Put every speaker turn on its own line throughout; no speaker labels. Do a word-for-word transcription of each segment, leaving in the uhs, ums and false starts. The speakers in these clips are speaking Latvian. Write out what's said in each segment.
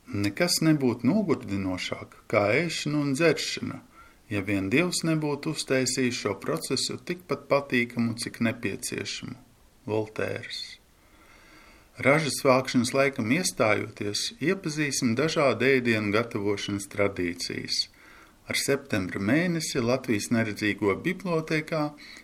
Nekas nebūtu nogurdinošāk kā ēšana un dzeršana, ja vien Dievs nebūtu uztaisījis šo procesu tikpat patīkamu, cik nepieciešamu. Voltērs. Ražas vākšanas laikam iestājoties, iepazīsim dažādu ēdienu gatavošanas tradīcijas. Ar septembra mēnesi Latvijas neredzīgo bibliotēkā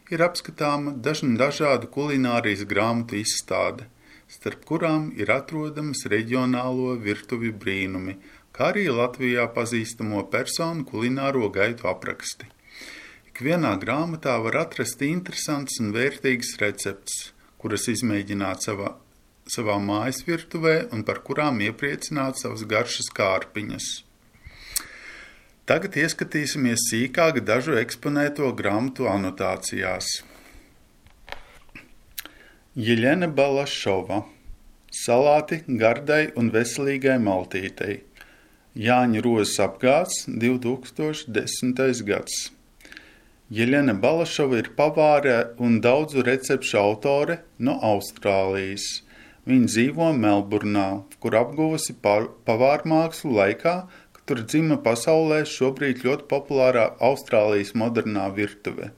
ir apskatāma dažna dažādu kulinārijas grāmatu izstāde, starp kurām ir atrodamas reģionālo virtuvi brīnumi, kā arī Latvijā pazīstamo personu kulināro gaitu apraksti. Ikvienā grāmatā var atrast interesants un vērtīgs recepts, kuras izmēģināt savā, savā mājas virtuvē un par kurām iepriecināt savas garšas kārpiņas. Tagad ieskatīsimies sīkāk dažu eksponēto grāmatu anotācijās. Jeļena Balašova. Salāti gardai un veselīgai maltītei. Jāņa Rozes apgāds, divi tūkstoši desmitais gads. Jeļena Balašova ir pavāre un daudzu recepšu autore no Austrālijas. Viņa dzīvo Melburnā, kur apguvusi pavārmākslu laikā, tur dzima pasaulē šobrīd ļoti populārā Austrālijas modernā virtuve.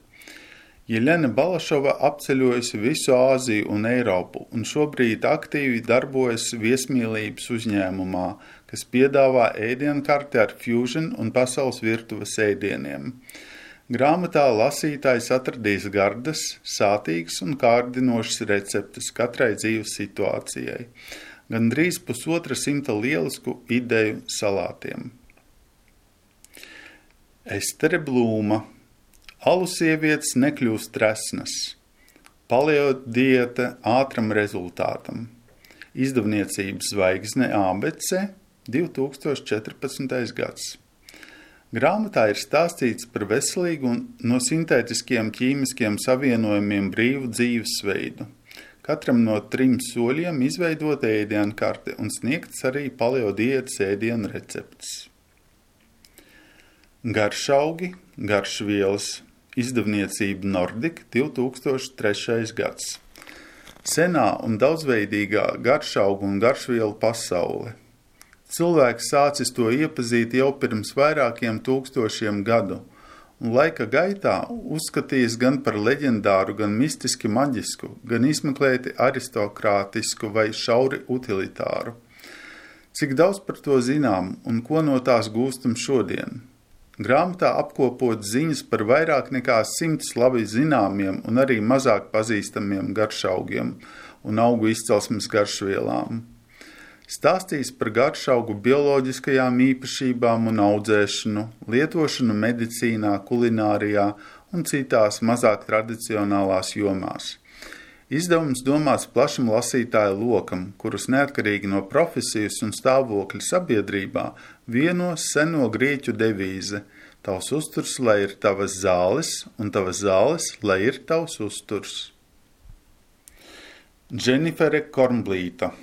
Jeļena Balašova apceļojusi visu Āziju un Eiropu un šobrīd aktīvi darbojas viesmīlības uzņēmumā, kas piedāvā ēdienkarti ar fusion un pasaules virtuves ēdieniem. Grāmatā lasītājs atradīs gardas, sātīgas un kārdinošas receptes katrai dzīves situācijai. Gandrīz pusotra simta lielisku ideju salātiem. Estere Blūma. Alu sievietes nekļūst tresnas. Paleo diēta ātram rezultātam. Izdevniecības Zvaigzne A B C, divi tūkstoši četrpadsmitais gads. Grāmatā ir stāstīts par veselīgu un no sintētiskiem ķīmiskiem savienojumiem brīvu dzīvesveidu. Katram no trim soļiem izveidot ēdienkarte un sniegts arī paleo diētas ēdienu receptes. Garšaugi, garšvielas, izdevniecība Nordic, divi tūkstoši trešais gads. Senā un daudzveidīgā garšaugu un garšvielu pasaule. Cilvēks sācis to iepazīt jau pirms vairākiem tūkstošiem gadu, un laika gaitā uzskatījis gan par leģendāru, gan mistiski maģisku, gan izmeklēti aristokrātisku vai šauri utilitāru. Cik daudz par to zinām un ko no tās gūstam šodien? Grāmatā apkopot ziņas par vairāk nekā simts labi zināmiem un arī mazāk pazīstamiem garšaugiem un augu izcelsmes garšvielām. Stāstīs par garšaugu bioloģiskajām īpašībām un audzēšanu, lietošanu medicīnā, kulinārijā un citās mazāk tradicionālās jomās. Izdevums domāts plašam lasītāju lokam, kurus neatkarīgi no profesijas un stāvokļa sabiedrībā vieno seno grieķu devīze – tavs uzturs, lai ir tavas zāles, un tavas zāles, lai ir tavs uzturs. Dženifere Kornblīta.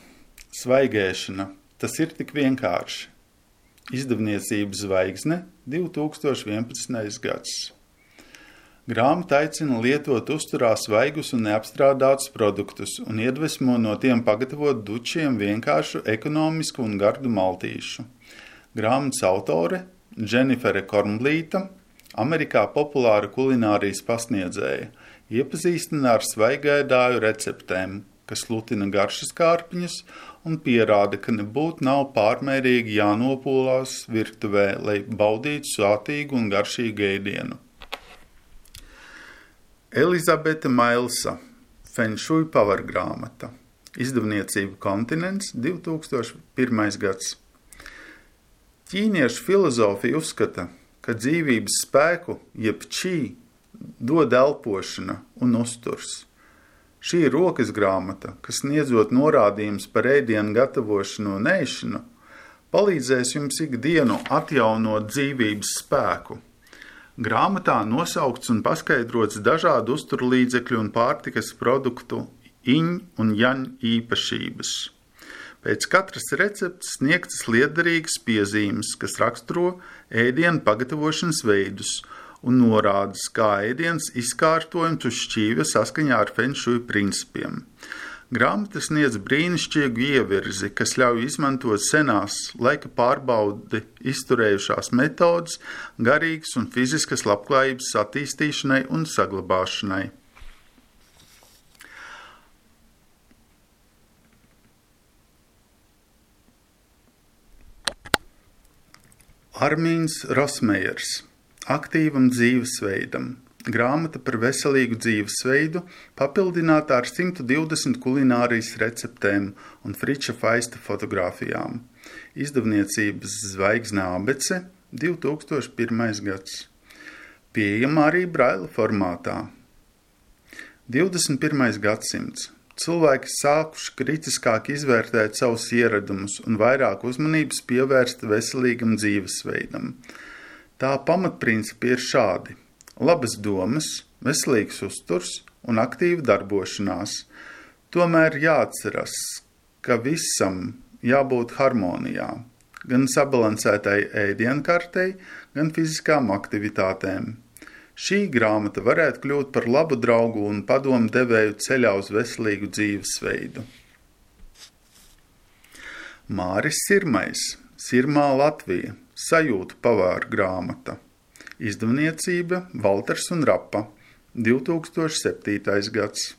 Svaigēšana. Tas ir tik vienkārši. Izdevniecības Zvaigzne, divi tūkstoši vienpadsmitais gads. Grāmata aicina lietot uzturā svaigus un neapstrādātus produktus un iedvesmo no tiem pagatavot dučiem vienkāršu, ekonomisku un gardu maltīšu. Grāmatas autore Dženifere Kornblīta, Amerikā populāra kulinārijas pasniedzēja, iepazīstina ar svaigēdāju receptēm, kas lutina garšas kārpiņas un pierāda, ka nebūtu nav pārmērīgi jānopūlās virtuvē, lai baudītu sātīgu un garšīgu ēdienu. Elizabete Mailsa, Fenšuj pavargrāmata, izdevniecība Kontinents, divi tūkstoši pirmais gads. Ķīniešu filozofija uzskata, ka dzīvības spēku, jeb čī, dod elpošana un uzturs. Šī ir rokas grāmata, kas sniedzot norādījumus par ēdienu gatavošanu un ēšanu, palīdzēs jums ikdienu atjaunot dzīvības spēku. Grāmatā nosaukts un paskaidrots dažādu uzturlīdzekļu un pārtikas produktu iņ un jaņ īpašības. Pēc katras receptes sniegtas liederīgas piezīmes, kas raksturo ēdienu pagatavošanas veidus un norādes, kā ēdiens izkārtojums uz šķīvja saskaņā ar fenšuj principiem. Grāmata sniedz brīnišķīgu ievirzi, kas ļauj izmantot senās laika pārbaudi izturējušās metodes garīgas un fiziskas labklājības attīstīšanai un saglabāšanai. Armīns Rosmejers – Aktīvam dzīvesveidam. Grāmata par veselīgu dzīvesveidu, papildināta ar simt divdesmit kulinārijas receptēm un Friča Faista fotogrāfijām. Izdevniecības Zvaigzne Abece, divi tūkstoši pirmais gads. Pieejama arī braila formātā. divdesmit pirmais gadsimts. Cilvēki sākuši kritiskāk izvērtēt savus ieradumus un vairāk uzmanības pievērst veselīgam dzīvesveidam. Tā pamatprincipi ir šādi. Labas domas, veselīgs uzturs un aktīva darbošanās. Tomēr jāatceras, ka visam jābūt harmonijā, gan sabalansētai ēdienkartei, gan fiziskām aktivitātēm. Šī grāmata varētu kļūt par labu draugu un padomu devēju ceļā uz veselīgu dzīvesveidu. Māris Sirmais, Sirmā Latvija, sajūtu pavāra grāmata. Izdevniecība Valters un Rapa, divi tūkstoši septītais gads.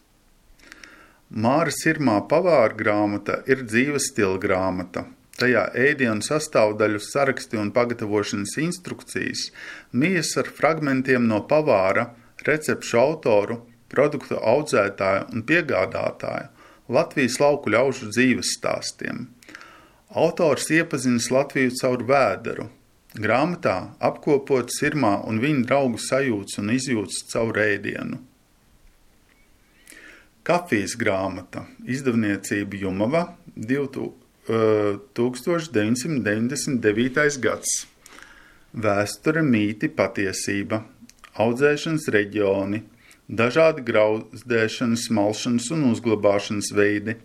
Māra Sirmā pavāra grāmata ir dzīves stila grāmata. Tajā ēdienu sastāvdaļu saraksti un pagatavošanas instrukcijas mijas ar fragmentiem no pavāra, recepšu autoru, produktu audzētāju un piegādātāju Latvijas lauku ļaužu dzīves stāstiem. Autors iepazinas Latviju caur vēderu. Grāmatā apkopot Sirmā un viņa draugu sajūtas un izjūtas caur ēdienu. Kafijas grāmata, izdevniecība Jumava, tūkstoš deviņsimt deviņdesmit devītais gads. Vēsture, mīti, patiesība, audzēšanas reģioni, dažādi grauzdēšanas, malšanas un uzglabāšanas veidi,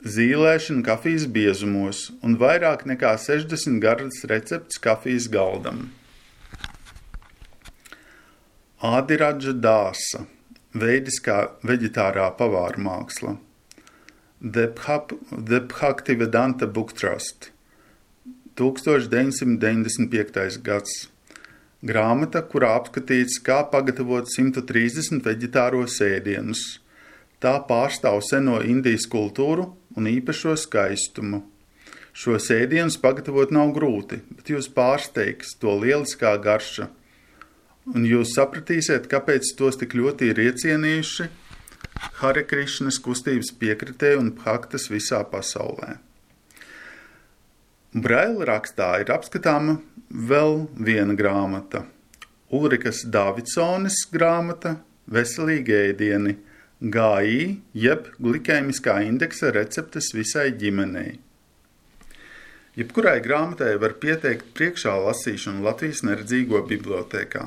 zīlēšana kafijas biezumos un vairāk nekā sešdesmit gardas receptes kafijas galdam. Ādiradža Dāsa, veidiskā veģetārā pavāra māksla. The Bhaktivedanta Book Trust, tūkstoš deviņsimt deviņdesmit piektais gads. Grāmata, kurā apskatīts, kā pagatavot simt trīsdesmit veģetāros ēdienus. Tā pārstāv seno Indijas kultūru un īpašo skaistumu. Šos ēdienus pagatavot nav grūti, bet jūs pārsteigs to lieliskā garša. Un jūs sapratīsiet, kāpēc tos tik ļoti ir iecienījuši Hare Krišnas kustības piekritēji un bhaktas visā pasaulē. Braila rakstā ir apskatāma vēl viena grāmata. Ulrikas Davidsones grāmata Veselīgi ēdieni, G I, jeb glikēmiskā indeksa receptes visai ģimenei. Jebkurai grāmatai var pieteikt priekšā lasīšanu Latvijas neredzīgo bibliotēkā.